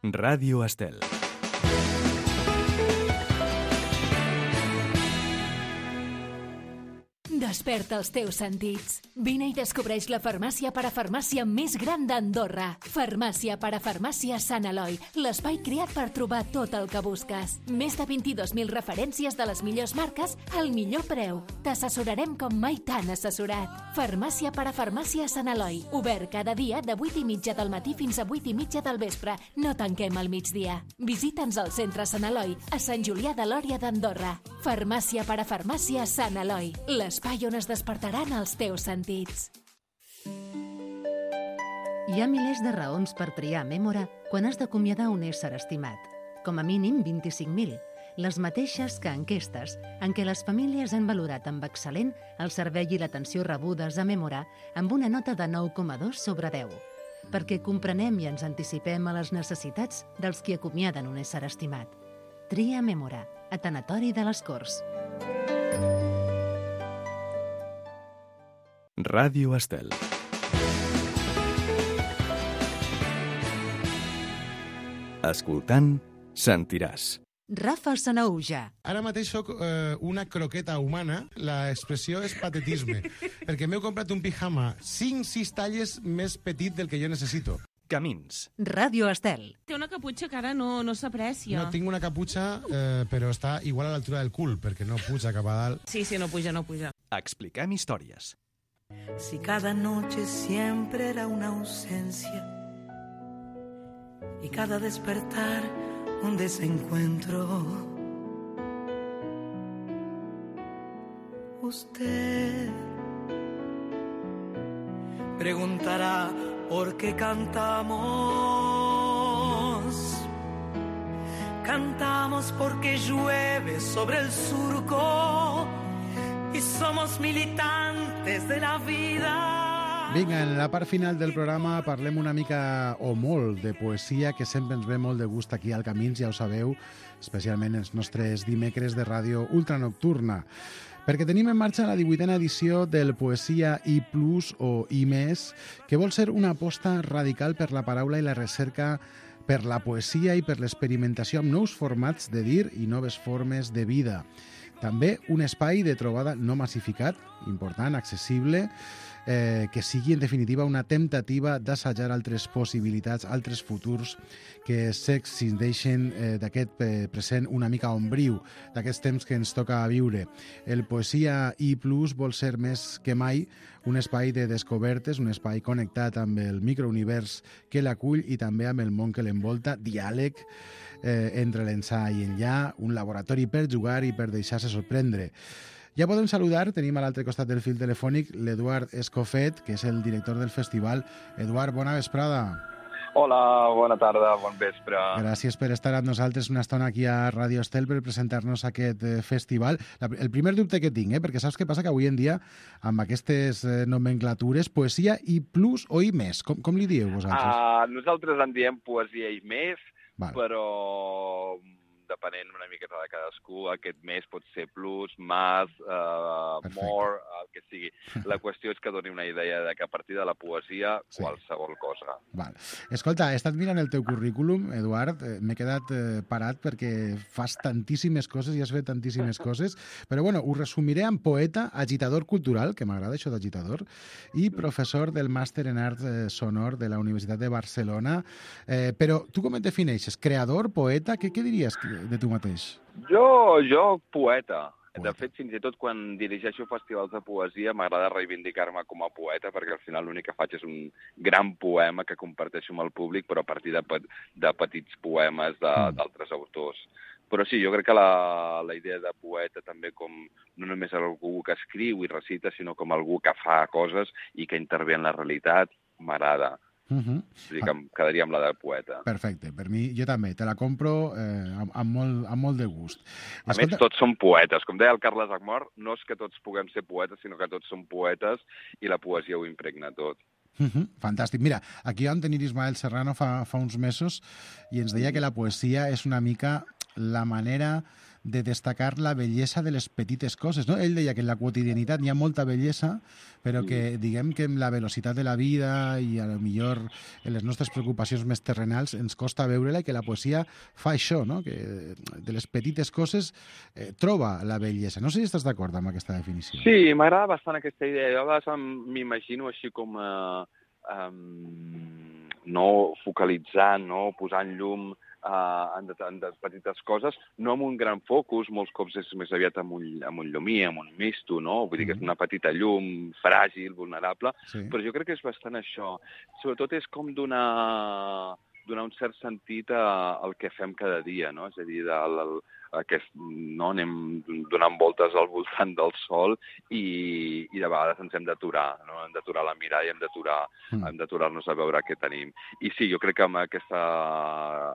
Speaker 1: Ràdio Estel.
Speaker 6: Desperta els teus sentits. Vine i descobreix la farmàcia parafarmàcia més gran d'Andorra. Farmàcia parafarmàcia Sant Eloi, l'espai creat per trobar tot el que busques. Més de vint-i-dos mil referències de les millors marques al millor preu. T'assessorarem com mai t'han assessorat. Farmàcia parafarmàcia Sant Eloi, obert cada dia de vuit i mitja del matí fins a vuit i mitja del vespre. No tanquem al migdia. Visita'ns al centre Sant Eloi, a Sant Julià de Lòria d'Andorra. Farmàcia parafarmàcia Sant Eloi, l'espai on es despertaran els teus sentits.
Speaker 3: Hi ha milers de raons per triar Mémora quan has d'acomiadar un ésser estimat. Com a mínim vint-i-cinc mil, les mateixes que enquestes en què les famílies han valorat amb excel·lent el servei i l'atenció rebudes a Mémora amb una nota de nou coma dos sobre deu, perquè comprenem i ens anticipem a les necessitats dels qui acomiaden un ésser estimat. Tria Mémora, a Tanatori de les Corts.
Speaker 1: Ràdio Estel. Escoltant, sentiràs.
Speaker 3: Rafa Sanauja.
Speaker 7: Ara mateix soc eh, una croqueta humana, l'expressió és patetisme, perquè m'he comprat un pijama cinc sis talles més petit del que jo necessito.
Speaker 1: Camins.
Speaker 3: Ràdio Estel.
Speaker 8: Té una caputxa que ara no, no s'aprecia.
Speaker 7: No tinc una caputxa, eh, però està igual a l'altura del cul, perquè no puja cap a dalt.
Speaker 8: Sí, sí, no puja, no puja.
Speaker 1: Expliquem històries.
Speaker 9: Si cada noche siempre era una ausencia y cada despertar un desencuentro, usted preguntará por qué cantamos. Cantamos porque llueve sobre el surco y somos militantes de la vida.
Speaker 2: Vinga, en la part final del programa parlem una mica o molt de poesia, que sempre ens ve molt de gust aquí al Camins, ja ho sabeu, especialment els nostres dimecres de ràdio ultranocturna. Perquè tenim en marxa la divuitena edició del Poesia I plus o I més, que vol ser una aposta radical per la paraula i la recerca per la poesia i per l'experimentació amb nous formats de dir i noves formes de vida. També un espai de trobada no massificat, important, accessible, eh, que sigui en definitiva una temptativa d'assajar altres possibilitats, altres futurs que s'excindeixen eh, d'aquest eh, present una mica ombriu, d'aquests temps que ens toca viure. El Poesia I plus vol ser més que mai un espai de descobertes, un espai connectat amb el microunivers que l'acull i també amb el món que l'envolta, diàleg eh, entre l'ençà i enllà, un laboratori per jugar i per deixar-se sorprendre. Ja podem saludar, tenim a l'altre costat del fil telefònic l'Eduard Escofet, que és el director del festival. Eduard, bona vesprada.
Speaker 10: Hola, bona tarda, bon vespre.
Speaker 2: Gràcies per estar amb nosaltres una estona aquí a Ràdio Estel per presentar-nos aquest eh, festival. La, el primer dubte que tinc, eh, perquè saps què passa? Que avui en dia, amb aquestes eh, nomenclatures, poesia i plus o i més, com, com li dieu vosaltres?
Speaker 10: Uh, nosaltres en diem poesia i més,
Speaker 2: Val.
Speaker 10: però depenent una miqueta de cadascú, aquest més pot ser plus, más, uh, more, el que sigui. La qüestió és que doni una idea de que a partir de la poesia,
Speaker 2: Sí.
Speaker 10: qualsevol cosa.
Speaker 2: Val. Escolta, he estat mirant el teu currículum, Eduard, eh, m'he quedat eh, parat perquè fas tantíssimes coses i has fet tantíssimes coses, però bueno, ho resumiré en poeta, agitador cultural, que m'agrada això d'agitador, i professor del màster en art eh, sonor de la Universitat de Barcelona. Eh, però tu com et defineixes? Creador, poeta? Què, què diries de tu mateix?
Speaker 10: Jo, jo poeta.
Speaker 2: Poeta.
Speaker 10: De fet, fins i tot quan dirigeixo festivals de poesia m'agrada reivindicar-me com a poeta perquè al final l'únic que faig és un gran poema que comparteixo amb el públic però a partir de, pe de petits poemes d'altres autors. Però sí, jo crec que la, la idea de poeta també com no només algú que escriu i recita, sinó com algú que fa coses i que intervé en la realitat, m'agrada.
Speaker 2: Uh -huh.
Speaker 10: És a dir, que em quedaria amb la de poeta.
Speaker 2: Perfecte, per mi, jo també, te la compro eh, amb, amb, molt, amb molt de gust.
Speaker 10: A més, tots són poetes. Com deia el Carles Agmor, no és que tots puguem ser poetes, sinó que tots som poetes i la poesia ho impregna tot.
Speaker 2: Uh -huh. Fantàstic. Mira, aquí vam tenir Ismael Serrano fa, fa uns mesos i ens deia que la poesia és una mica la manera de destacar la bellesa de les petites coses, no? Ell deia que en la quotidianitat hi ha molta bellesa, però que, diguem que amb la velocitat de la vida i a lo millor en les nostres preocupacions més terrenals ens costa veure-la i que la poesia fa això, no? Que de les petites coses eh, troba la bellesa. No sé si estàs d'acord amb aquesta definició.
Speaker 10: Sí, m'agrada bastant aquesta idea. Jo a vegades m'imagino així com a, um, no focalitzant, no posant llum Uh, en, de, en de petites coses, no amb un gran focus, molts cops és més aviat amb un, amb un llumí, amb un misto, no? Vull dir que és una petita llum, fràgil, vulnerable, sí. Però jo crec que és bastant això. Sobretot és com donar, donar un cert sentit a, al que fem cada dia, no? És a dir, del, el, aquest, no? Anem donant voltes al voltant del sol i, i de vegades ens hem d'aturar, no? Hem d'aturar la mirada i hem d'aturar mm. hem d'aturar-nos a veure què tenim. I sí, jo crec que amb aquesta,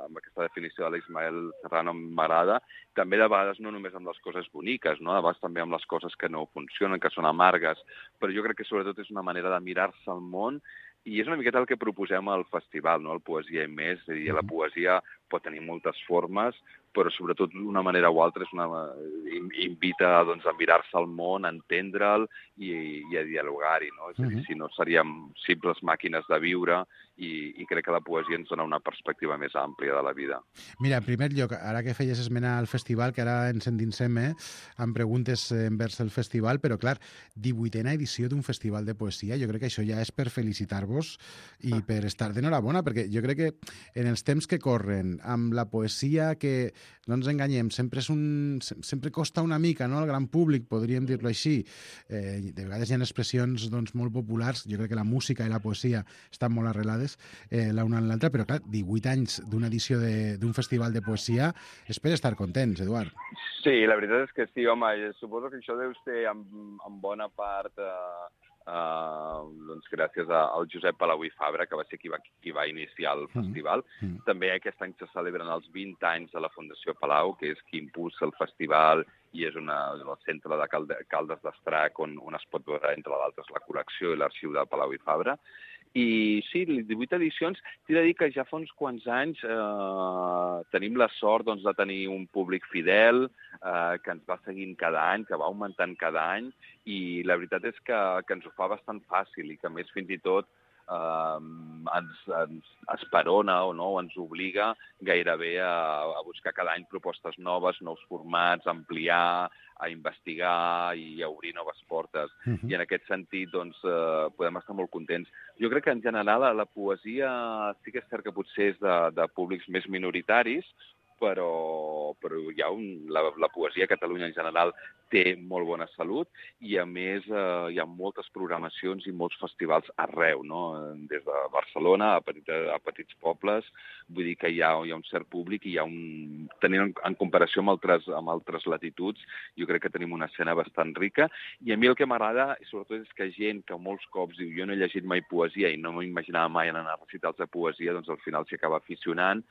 Speaker 10: amb aquesta definició de l'Ismael Serrano m'agrada, també de vegades no només amb les coses boniques, no? De vegades també amb les coses que no funcionen, que són amargues, però jo crec que sobretot és una manera de mirar-se al món i és una miqueta el que proposem al festival, no? El Poesia i més, és a dir, la poesia pot tenir moltes formes, però sobretot d'una manera o altra és una, invita doncs, a mirar-se al món, a entendre'l i, i a dialogar-hi, no? És a dir, si no seríem simples màquines de viure i, i crec que la poesia ens dona una perspectiva més àmplia de la vida.
Speaker 2: Mira, en primer lloc, ara que feies esmena al festival, que ara ens endinsem eh, amb preguntes envers el festival, però clar, divuitena edició d'un festival de poesia, jo crec que això ja és per felicitar-vos i per estar d'enhorabona, perquè jo crec que en els temps que corren, amb la poesia que, no ens enganyem, sempre, és un, sempre costa una mica, no?, al gran públic, podríem dir-lo així. Eh, de vegades hi ha expressions doncs, molt populars, jo crec que la música i la poesia estan molt arrelades eh, l'una en l'altra, però clar, divuit anys d'una edició d'un festival de poesia és per estar contents, Eduard.
Speaker 10: Sí, la veritat és que sí, home, suposo que això deu ser en, en bona part... Eh... Uh, doncs gràcies a, al Josep Palau i Fabra, que va ser qui va, qui va iniciar el festival. Mm. Mm. També aquest any se celebren els vint anys de la Fundació Palau, que és qui impulsa el festival i és una, el centre de Calde, Caldes d'Estrac, on, on es pot veure, entre d'altres, la col·lecció i l'arxiu de Palau i Fabra. I sí, les divuit edicions, t'he de dir que ja fa uns quants anys eh, tenim la sort doncs, de tenir un públic fidel eh, que ens va seguint cada any, que va augmentant cada any, i la veritat és que, que ens ho fa bastant fàcil i que més fins i tot eh, ens, ens esperona o no, ens obliga gairebé a, a buscar cada any propostes noves, nous formats, ampliar, a investigar i a obrir noves portes. Uh-huh. I en aquest sentit doncs, eh, podem estar molt contents. Jo crec que en general la poesia sí que és cert que potser és de, de públics més minoritaris, però, però hi ha un, la, la poesia a Catalunya en general té molt bona salut i, a més, eh, hi ha moltes programacions i molts festivals arreu, no? Des de Barcelona a, petit, a petits pobles. Vull dir que hi ha, hi ha un cert públic i hi ha un... Tenint en, en comparació amb altres, amb altres latituds, jo crec que tenim una escena bastant rica. I a mi el que m'agrada, sobretot, és que gent que molts cops diu jo no he llegit mai poesia i no m'imaginava mai anar a recitals de poesia, doncs al final s'hi acaba aficionant.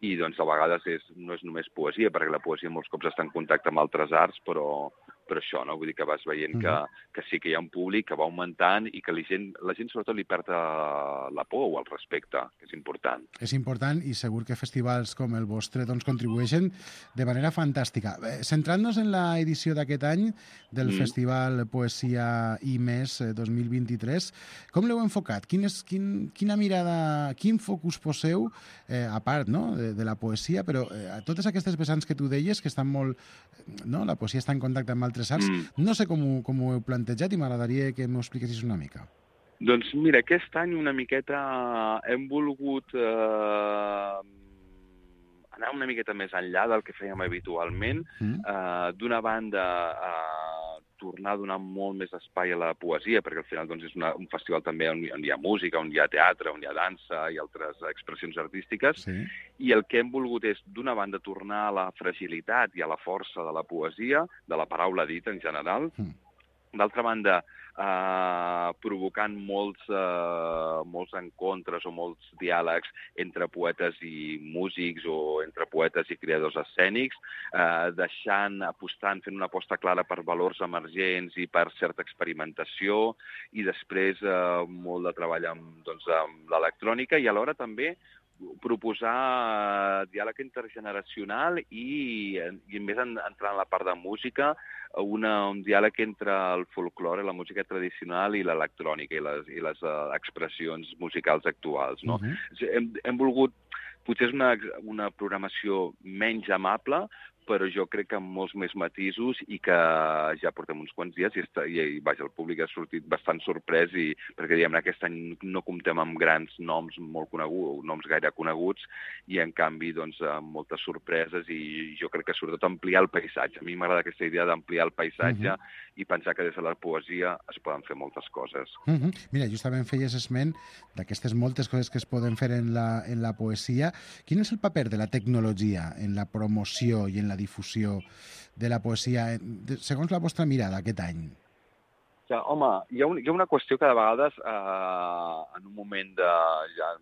Speaker 10: I doncs a vegades és, no és només poesia, perquè la poesia molts cops està en contacte amb altres arts, però, però això, no? Vull dir que vas veient que, que sí que hi ha un públic que va augmentant i que la gent, la gent sobretot li perd la por o el respecte, que és important.
Speaker 2: És important i segur que festivals com el vostre doncs, contribueixen de manera fantàstica. Centrant-nos en l'edició d'aquest any del mm. Festival Poesia i Més dos mil vint-i-tres, com l'heu enfocat? Quin és, quin, quina mirada, quin focus poseu, eh, a part, no?, de, de la poesia, però eh, a totes aquestes vessants que tu deies, que estan molt... No? La poesia està en contacte amb altres arts, mm. no sé com ho, com ho heu plantejat i m'agradaria que m'ho expliquessis una mica.
Speaker 10: Doncs mira, aquest any una miqueta hem volgut eh, anar una miqueta més enllà del que fèiem habitualment. Mm. Eh, D'una banda, eh, tornar a donar molt més espai a la poesia, perquè al final doncs, és una, un festival també on, on hi ha música, on hi ha teatre, on hi ha dansa i altres expressions artístiques. Sí. I el que hem volgut és, d'una banda, tornar a la fragilitat i a la força de la poesia, de la paraula dita en general. Mm. D'altra banda, eh, provocant molts, eh, molts encontres o molts diàlegs entre poetes i músics o entre poetes i creadors escènics, eh, deixant, apostant, fent una aposta clara per valors emergents i per certa experimentació, i després eh, molt de treball amb, doncs, amb l'electrònica i alhora també proposar diàleg intergeneracional i, i més en, entrar en la part de música, una, un diàleg entre el folklore, la música tradicional i l'electrònica i les, i les uh, expressions musicals actuals. No? Uh-huh. hem, hem volgut, potser és una, una programació menys amable, però jo crec que amb molts més matisos i que ja portem uns quants dies i, està, i, i vaja, el públic ha sortit bastant sorprès i, perquè diguem, aquest any no comptem amb grans noms molt coneguts, noms gaire coneguts, i en canvi doncs, amb moltes sorpreses i jo crec que sobretot ampliar el paisatge. A mi m'agrada aquesta idea d'ampliar el paisatge uh-huh. i pensar que des de la poesia es poden fer moltes coses.
Speaker 2: Uh-huh. Mira, justament feies esment d'aquestes moltes coses que es poden fer en la, en la poesia. Quin és el paper de la tecnologia en la promoció i en la difusió de la poesia, segons la vostra mirada aquest any?
Speaker 10: Ja, home, hi ha, un, hi ha una qüestió que de vegades, eh, en un moment de... Ja,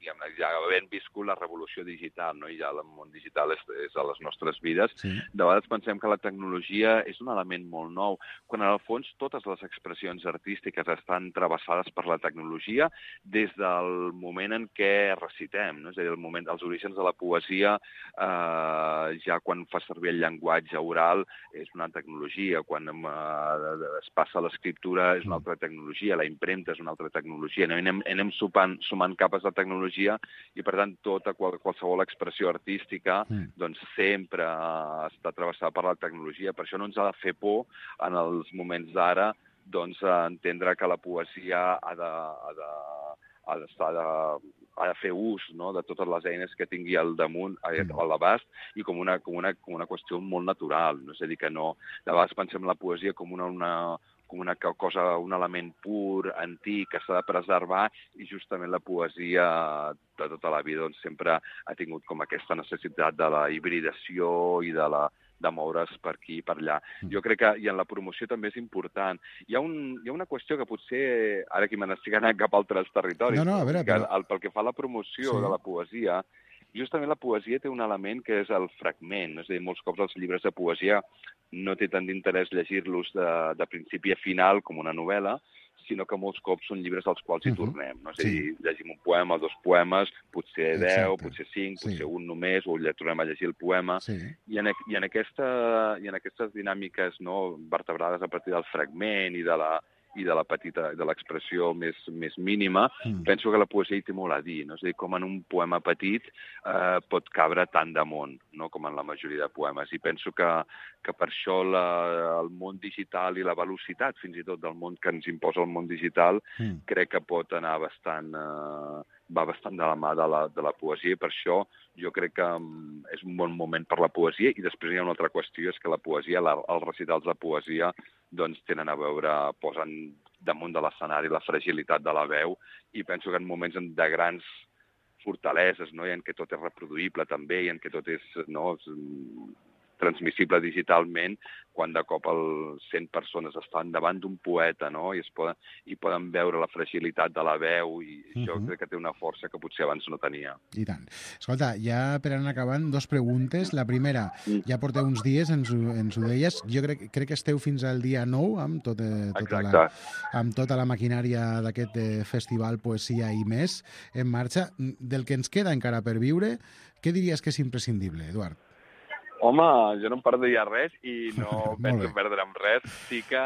Speaker 10: diguem, ja havent viscut la revolució digital, no? I ja el món digital és, és a les nostres vides, sí. De vegades pensem que la tecnologia és un element molt nou, quan en el fons totes les expressions artístiques estan travessades per la tecnologia des del moment en què recitem, no? És a dir, el moment, els orígens de la poesia, eh, ja quan fa servir el llenguatge oral, és una tecnologia, quan eh, es passa a l'escriptura és una altra tecnologia, la impremta és una altra tecnologia, no? I anem, anem sumant, sumant capes de tecnologia i, per tant, tota qualsevol expressió artística mm. doncs sempre està travessada per la tecnologia. Per això no ens ha de fer por en els moments d'ara doncs, entendre que la poesia ha de, ha de, ha d'estar de, ha de fer ús, no?, de totes les eines que tingui al damunt, a l'abast, i com una, com, una, com una qüestió molt natural. No? És a dir, que no... De vegades pensem la poesia com una... una com una cosa, un element pur, antic, que s'ha de preservar, i justament la poesia de tota la vida doncs, sempre ha tingut com aquesta necessitat de la hibridació i de la de moure's per aquí i per allà. Jo crec que, i en la promoció també és important. Hi ha, un, hi ha una qüestió que potser, ara que me n'estic anant cap a altres territoris,
Speaker 2: no, no, a veure,
Speaker 10: que
Speaker 2: però...
Speaker 10: el, pel que fa a la promoció sí. de la poesia, justament la poesia té un element que és el fragment. És a dir, molts cops els llibres de poesia no té tant d'interès llegir-los de, de principi a final com una novel·la, sinó que molts cops són llibres als quals hi tornem. No? És a dir, sí. llegim un poema, dos poemes, potser deu, Exacte. potser cinc, potser sí. un només, o tornem a llegir el poema. Sí. I, en, i, en aquesta, I en aquestes dinàmiques, no, vertebrades a partir del fragment i de la i de la petita, de l'expressió més, més mínima, mm. penso que la poesia hi té molt a dir, no? És a dir, com en un poema petit eh, pot cabre tant de món, no? Com en la majoria de poemes. I penso que, que per això la, el món digital i la velocitat, fins i tot, del món que ens imposa el món digital, mm. crec que pot anar bastant... Eh, va bastant de la mà de la, de la poesia, i per això jo crec que és un bon moment per la poesia. I després hi ha una altra qüestió, és que la poesia, la, els recitals de poesia, doncs tenen a veure, posen damunt de l'escenari la fragilitat de la veu, i penso que en moments de grans fortaleses, no? I en què tot és reproduïble també, i en què tot és, no, transmissible digitalment, quan de cop el cent persones estan davant d'un poeta, no? I, es poden, i poden veure la fragilitat de la veu, i uh-huh. això crec que té una força que potser abans no tenia.
Speaker 2: I tant. Escolta, ja per anar acabant, dos preguntes. La primera, ja porteu uns dies, ens ho, ens ho deies, jo crec, crec que esteu fins al dia nou amb, tot, eh, tota, la, amb tota la maquinària d'aquest eh, festival Poesia i més en marxa. Del que ens queda encara per viure, què diries que és imprescindible, Eduard?
Speaker 10: Home, jo no em perdria res i no penso perdre'm res. Sí que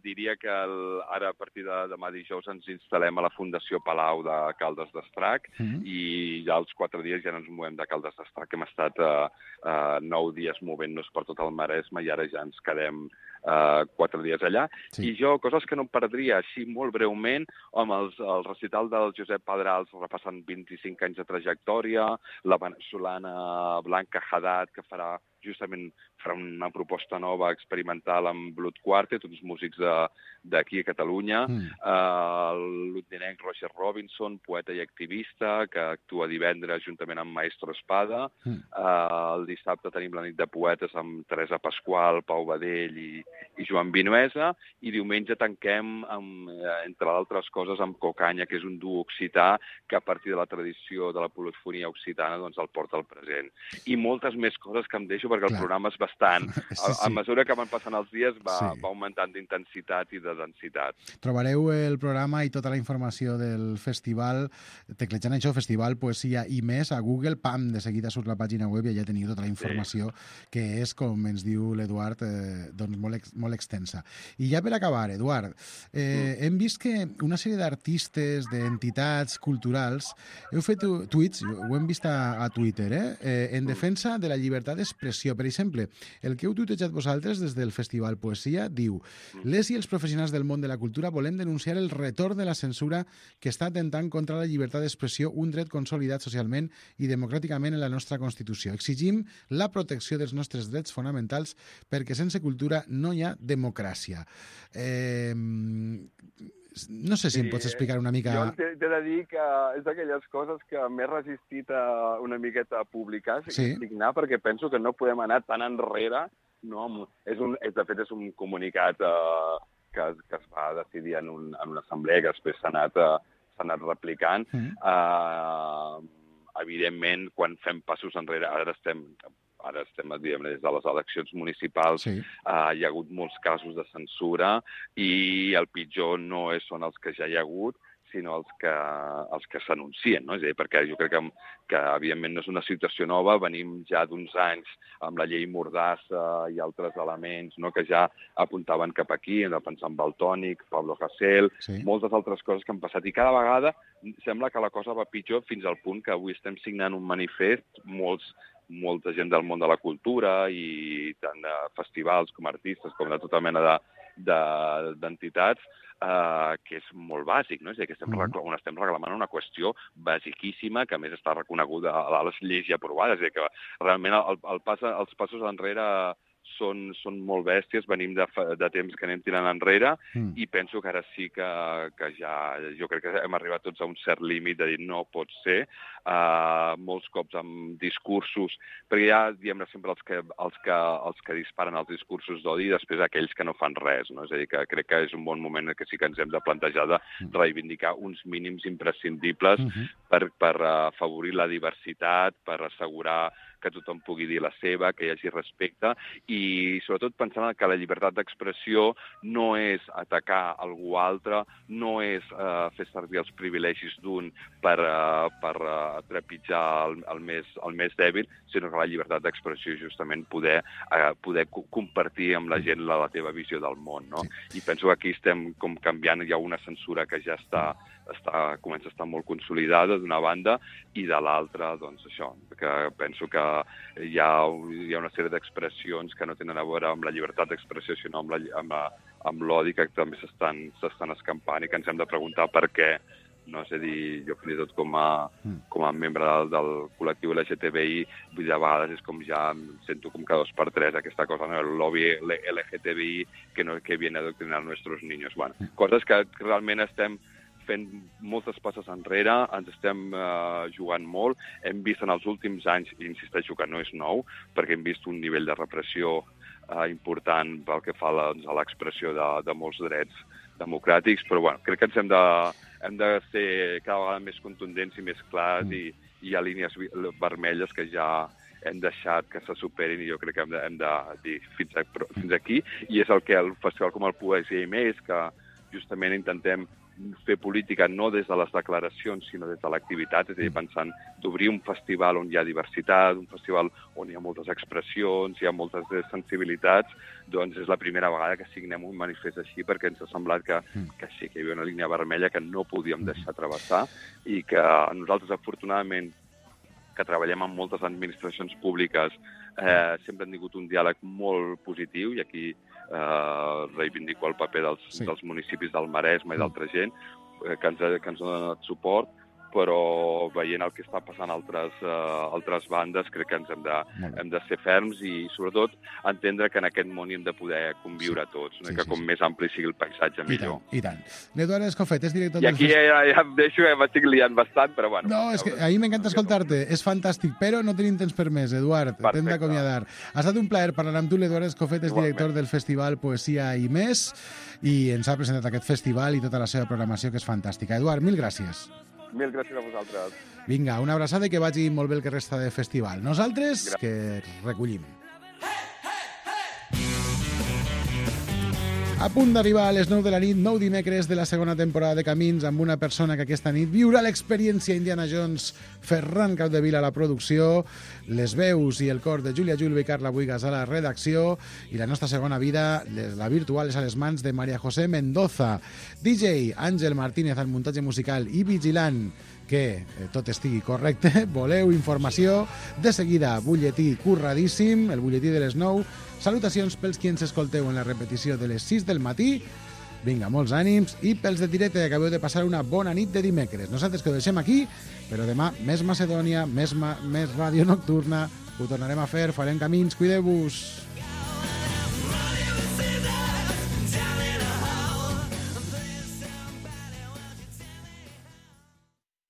Speaker 10: diria que el, ara a partir de demà dijous ens instal·lem a la Fundació Palau de Caldes d'Estrac mm-hmm. i ja els quatre dies ja no ens movem de Caldes d'Estrac. Hem estat uh, uh, nou dies movent-nos per tot el Maresme i ara ja ens quedem Uh, quatre dies allà, sí. I jo, coses que no em perdria, així molt breument, amb els, el recital del Josep Pedrals repassant vint-i-cinc anys de trajectòria, la venezolana Blanca Haddad, que farà justament farà una proposta nova experimental amb Blood Quartet, uns músics d'aquí a Catalunya, mm. uh, el londinenc Roger Robinson, poeta i activista, que actua divendres juntament amb Maestro Espada. Mm. Uh, el dissabte tenim la nit de poetes amb Teresa Pasqual, Pau Badell i, i Joan Vinuesa, i diumenge tanquem, amb, entre altres coses, amb Cocanya, que és un duo occità que a partir de la tradició de la polifonia occitana doncs, el porta al present. I moltes més coses que em deixo perquè el Clar. programa és bastant. Sí, sí. A, a mesura que van passant els dies va, sí. va augmentant d'intensitat i de densitat.
Speaker 2: Trobareu el programa i tota la informació del festival, teclejant això, Festival Poesia i més, a Google, pam, de seguida surt la pàgina web i allà teniu tota la informació sí. que és, com ens diu l'Eduard, eh, doncs molt, ex, molt extensa. I ja per acabar, Eduard, eh, mm. hem vist que una sèrie d'artistes, d'entitats culturals, heu fet tuits, ho hem vist a, a Twitter, eh, eh, en defensa de la llibertat d'expressió. Per exemple, el que heu tuitejat vosaltres des del Festival Poesia diu: les i els professionals del món de la cultura volem denunciar el retorn de la censura que està atentant contra la llibertat d'expressió, un dret consolidat socialment i democràticament en la nostra Constitució. Exigim la protecció dels nostres drets fonamentals perquè sense cultura no hi ha democràcia. Eh... No sé si sí, em pots explicar una mica...
Speaker 10: Jo t'he de dir que és d'aquelles coses que m'he resistit a una miqueta a publicar, sí. a signar, perquè penso que no podem anar tan enrere. No? És un, és, de fet, és un comunicat eh, que, que es va decidir en, un, en una assemblea que després s'ha anat, eh, s'ha anat replicant. Mm. Eh, evidentment, quan fem passos enrere, ara estem... Ara estem, diguem, des de les eleccions municipals, sí. uh, hi ha hagut molts casos de censura i el pitjor no és, són els que ja hi ha hagut, sinó els que, els que s'anuncien, no? És a dir, perquè jo crec que, que, evidentment, no és una situació nova, venim ja d'uns anys amb la llei Mordassa i altres elements, no?, que ja apuntaven cap aquí, hem de pensar en Valtònic, Pablo Hasél, sí. moltes altres coses que han passat, i cada vegada sembla que la cosa va pitjor fins al punt que avui estem signant un manifest, molts molta gent del món de la cultura i tant de festivals com artistes com de tota mena d'entitats, de, eh, que és molt bàsic, no? És a dir, que estem, mm. on estem reclamant una qüestió basiquíssima que a més està reconeguda a les lleis ja aprovades. És a dir, que realment el, el pas, els passos enrere són, són molt bèsties, venim de, de temps que anem tirant enrere mm. i penso que ara sí que, que ja... Jo crec que hem arribat tots a un cert límit de dir no pot ser, uh, molts cops amb discursos, perquè hi ha, diguem, sempre els que, els, que, els que disparen els discursos d'odi i després aquells que no fan res, no? És a dir, que crec que és un bon moment que sí que ens hem de plantejar de reivindicar uns mínims imprescindibles mm-hmm. per, per afavorir la diversitat, per assegurar que tothom pugui dir la seva, que hi hagi respecte, i sobretot pensant que la llibertat d'expressió no és atacar algú altre, no és eh, fer servir els privilegis d'un per, uh, per uh, trepitjar el, el, més, el més dèbil, sinó que la llibertat d'expressió és justament poder, uh, poder compartir amb la gent la, la teva visió del món, no? Sí. I penso que aquí estem com canviant, hi ha una censura que ja està, està, comença a estar molt consolidada d'una banda, i de l'altra, doncs això, que penso que hi ha, hi ha una sèrie d'expressions que no tenen a veure amb la llibertat d'expressió, sinó amb, la, amb, la, amb l'odi que també s'estan escampant i que ens hem de preguntar per què no? És a dir, jo fins i tot com a, com a membre del, del col·lectiu L G T B I, vull dir, a vegades és com ja em sento com cada dos per tres aquesta cosa, no? El lobby L G T B I que, no, que viene a adoctrinar nuestros niños. Bueno, coses que realment estem fent moltes passes enrere, ens estem uh, jugant molt. Hem vist en els últims anys, i insisteixo que no és nou, perquè hem vist un nivell de repressió uh, important pel que fa doncs, a l'expressió de, de molts drets democràtics, però bueno, crec que ens hem de, hem de ser cada vegada més contundents i més clars mm. i, i hi ha línies vermelles que ja hem deixat que se superin i jo crec que hem de, hem de dir fins, a, fins aquí. I és el que el festival com el Poesia i Més, que justament intentem fer política no des de les declaracions, sinó des de l'activitat, és a dir, pensant d'obrir un festival on hi ha diversitat, un festival on hi ha moltes expressions, hi ha moltes sensibilitats, doncs és la primera vegada que signem un manifest així, perquè ens ha semblat que, que sí, que hi havia una línia vermella que no podíem deixar travessar i que nosaltres, afortunadament, que treballem amb moltes administracions públiques, eh, sempre hem tingut un diàleg molt positiu i aquí eh, reivindico el paper dels, sí. dels municipis del Maresme i d'altra gent eh, que, ens, que ens han donat suport, però veient el que està passant a altres, uh, altres bandes, crec que ens hem de, hem de ser ferms i, sobretot, entendre que en aquest món hi hem de poder conviure sí. tots, no? sí, que com sí, més ampli sigui el paisatge,
Speaker 2: I
Speaker 10: millor.
Speaker 2: Tant, I tant. L'Eduard Escofet és director...
Speaker 10: I aquí ja, ja em deixo, ja m'estic liant bastant, però bueno...
Speaker 2: No, és que a mi m'encanta escoltar-te, és fantàstic, però no tenim temps per més, Eduard, t'hem d'acomiadar. Ha estat un plaer parlar amb tu, l'Eduard Escofet és director del Festival Poesia i Més, i ens ha presentat aquest festival i tota la seva programació, que és fantàstica. Eduard, mil gràcies.
Speaker 10: Mil gràcies a vosaltres.
Speaker 2: Vinga, una abraçada i que vagi molt bé el que resta de festival. Nosaltres, gràcies. Que recollim. A punt d'arribar a les nou de la nit, nou dimecres de la segona temporada de Camins, amb una persona que aquesta nit viurà l'experiència Indiana Jones, Ferran Capdevila a la producció, les veus i el cor de Júlia Julve i Carla Buigas a la redacció, i la nostra segona vida, la virtual, és a les mans de María José Mendoza. D J Àngel Martínez al muntatge musical i vigilant que eh, tot estigui correcte. Voleu informació? De seguida, butlletí curradíssim, el butlletí de les nou. Salutacions pels qui ens escolteu en la repetició de les sis del matí. Vinga, molts ànims. I pels de directe, que acabeu de passar una bona nit de dimecres. Nosaltres que ho deixem aquí, però demà més Macedònia, més, ma més ràdio nocturna. Ho tornarem a fer, farem camins, cuideu-vos.